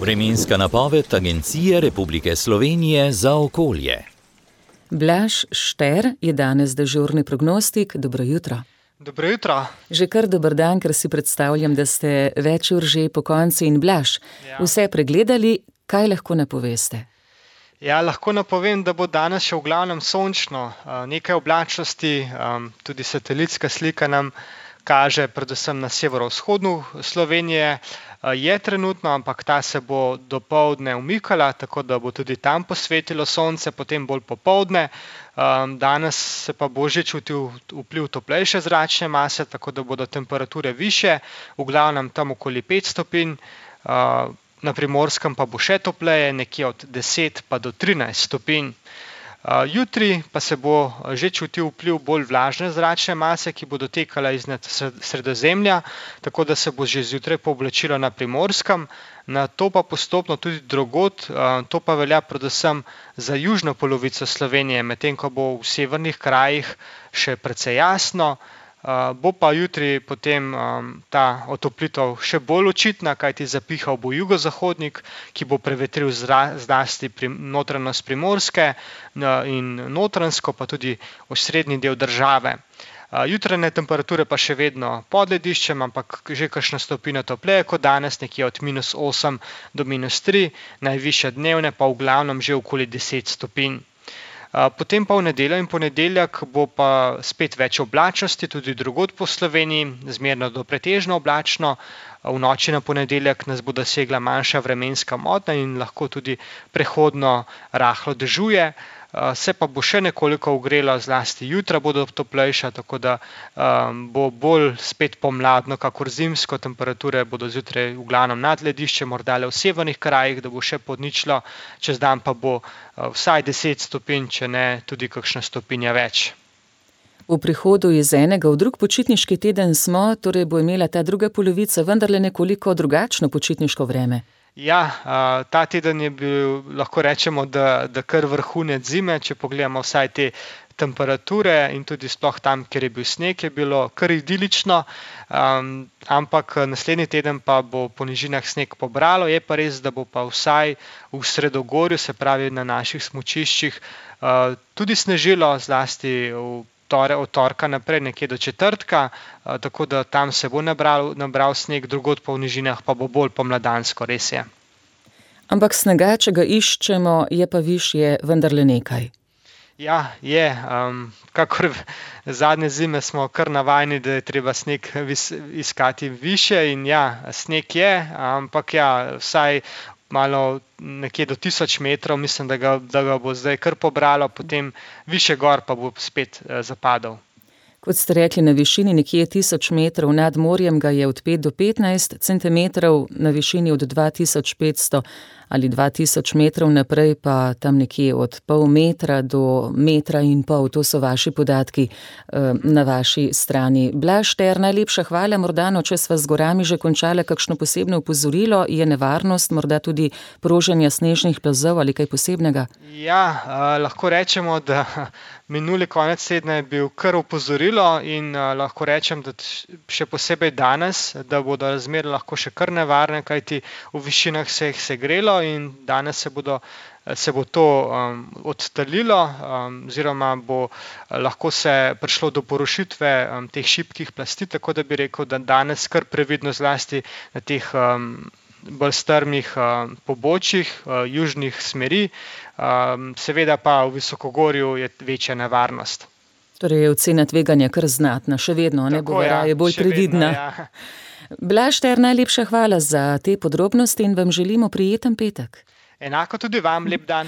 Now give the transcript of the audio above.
Vremenska napoved Agencije Republike Slovenije za okolje. Blaž Šter je danes dežurni prognostik. Dobro jutro. Dobro jutro. Že kar dober dan, ker si predstavljam, da ste več ur že po konci in Blaž. Vse pregledali, kaj lahko napoveste? Ja, lahko napovem, da bo danes še v glavnem sončno. Nekaj oblačnosti, tudi satelitska slika nam kaže predvsem na severovzhodu Slovenije. Je trenutno, ampak ta se bo dopoldne umikala, tako da bo tudi tam posvetilo sonce, potem bolj popoldne. Danes se pa bo že čutil vpliv toplejše zračne mase, tako da bodo temperature višje, v glavnem tam okoli 5 stopinj. Na Primorskem pa bo še topleje, nekje od 10 pa do 13 stopinj. Jutri pa se bo že čutil vpliv bolj vlažne zračne mase, ki bo dotekala iznad Sredozemlja, tako da se bo že zjutraj pooblačilo na Primorskem, na to pa postopno tudi drugod. To pa velja predvsem za južno polovico Slovenije, medtem ko bo v severnih krajih še precej jasno. Bo pa jutri potem ta otoplitev še bolj očitna, kajti zapihal bo jugozahodnik, ki bo prevetril zlasti notranjost Primorske in Notranjsko, pa tudi osrednji del države. Jutranje temperature pa še vedno pod lediščem, ampak že kakšna stopinja topleje kot danes, nekje od -8 do -3, najvišja dnevne pa v glavnem že okoli 10 stopinj. Potem pa v nedeljo in ponedeljek bo pa spet več oblačnosti, tudi drugod po Sloveniji, zmerno do pretežno oblačno. V noči na ponedeljek nas bo dosegla manjša vremenska motnja in lahko tudi prehodno rahlo dežuje. Se pa bo še nekoliko ogrelo, zlasti jutra bodo toplejša, tako da bo bolj spet pomladno, kakor zimsko. Temperature bodo zjutraj v glavnem nad lediščem, morda le v severnih krajih, da bo še pod ničlo, čez dan pa bo vsaj 10 stopinj, če ne tudi kakšna stopinja več. V prihodu iz enega v drug počitniški teden smo, torej bo imela ta druga polovica vendarle nekoliko drugačno počitniško vreme. Ja, ta teden je bil, lahko rečemo, da kar vrhunec zime, če pogledamo vsaj te temperature in tudi sploh tam, kjer je bil sneg, je bilo kar idilično, ampak naslednji teden pa bo po nižinah sneg pobralo. Je pa res, da bo pa vsaj v Sredogorju, se pravi na naših smučiščih, tudi snežilo, zlasti od torka naprej, nekje do četrtka, tako da tam se bo nabral sneg, drugod po nižinah pa bo bolj pomladansko, res je. Ampak snega, če ga iščemo, je pa višje vendarle nekaj. Ja, je. Kakor zadnje zime smo kar navajeni, da je treba sneg iskati višje in ja, sneg je, ampak ja, vsaj malo nekje do 1000 metrov, mislim, da ga bo zdaj kar pobralo, potem višje gor pa bo spet zapadal. Kot ste rekli, na višini nekje 1000 metrov nad morjem ga je od 5 do 15 centimetrov, na višini od 2500 ali 2000 metrov naprej pa tam nekje od pol metra do 1,5 metra, to so vaši podatki na vaši strani. Blaž Šter, najlepša hvala, morda če sva z gorami že končala kakšno posebno opozorilo, je nevarnost morda tudi proženja snežnih plazov ali kaj posebnega? Ja, lahko rečemo, da minuli konec tedna je bil kar opozorilo in lahko rečem, da še posebej danes, da bodo razmere lahko še kar nevarne, kajti v višinah se jih segrelo in danes se bo to odtalilo, oziroma bo lahko se prišlo do porušitve teh šibkih plasti, tako da bi rekel, da danes kar previdno, zlasti na teh bolj strmih pobočjih, južnih smeri, seveda pa v visokogorju je večja nevarnost. Torej je ocena tveganja kar znatna, še vedno, ne bo raje bolj previdna. Vedno, ja. Blaž Šter, najlepša hvala za te podrobnosti in vam želimo prijeten petek. Enako tudi vam, lep dan.